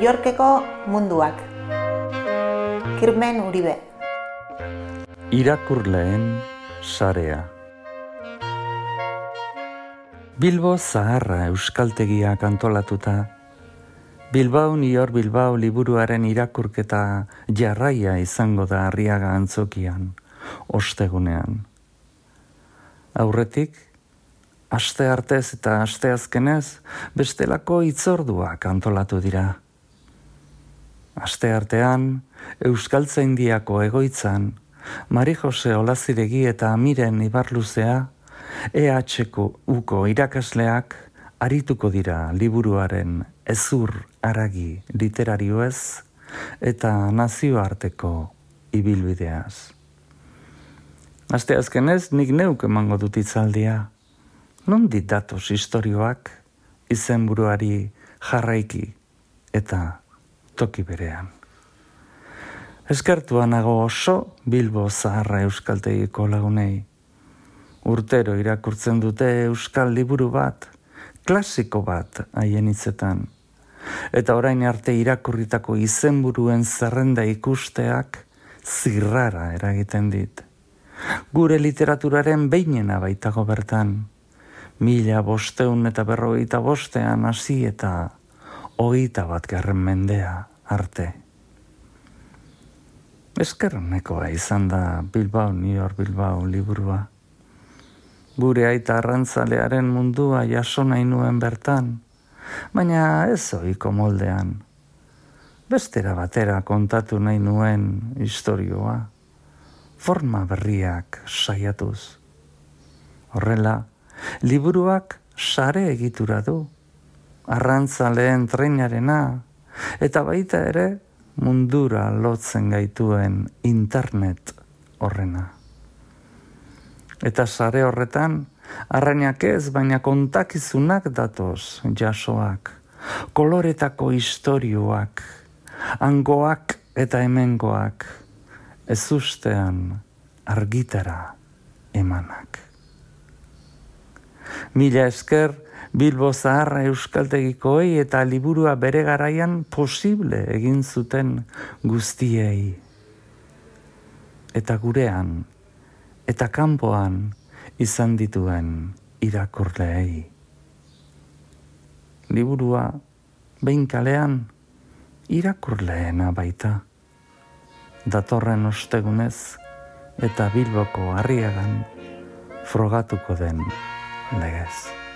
Yorkeko munduak. Kirmen Uribe. Irakurleen sarea. Bilbo Zaharra euskaltegiak antolatuta, Bilbao New York Bilbao liburuaren irakurketa jarraia izango da Arriaga antzokian, ostegunean. Aurretik, asteartez eta asteazkenez bestelako hitzorduak antolatu dira. Asteartean, Euskaltzaindiako egoitzan, Mari Jose Olaziregi eta Miren Ibarluzea, EHUko irakasleak arituko dira liburuaren hezur haragi literarioez eta nazioarteko ibilbideaz. Asteazkenez nik neuk emango dut hitzaldia. Nondik datoz istorioak izenburuari jarraiki eta toki berean. Eskertua nago oso Bilbo Zaharra euskaltegiko lagunei. Urtero irakurtzen dute euskal liburu bat, klasiko bat haien hitzetan. Eta orain arte irakurritako izenburuen zerrenda ikusteak zirrara eragiten dit. Gure literaturaren behinena baitago bertan. 1555 hasi eta 21. mendea arte. Eskernekoa izan da Bilbao New York Bilbao liburua. Gure aita arrantzalearen mundua jaso nahi nuen bertan, baina ez ohiko moldean. Bestera batera kontatu nahi nuen istorioa, forma berriak saiatuz. Horrela, liburuak sare egitura du, arrantzaleen trenarena, eta baita ere mundura lotzen gaituen internet horrena. Eta sare horretan, arrainak ez, baina kontakizunak datoz jasoak, koloretako istorioak, hangoak eta hemengoak, ezustean argitara emanak. Mila esker Bilbo Zaharra euskaltegikoei eta liburua bere garaian posible egin zuten guztiei. Eta gurean, eta kanpoan izan dituen irakurleei. Liburua behin kalean irakurleena baita. Datorren ostegunez eta Bilboko Arriagan frogatuko den legez.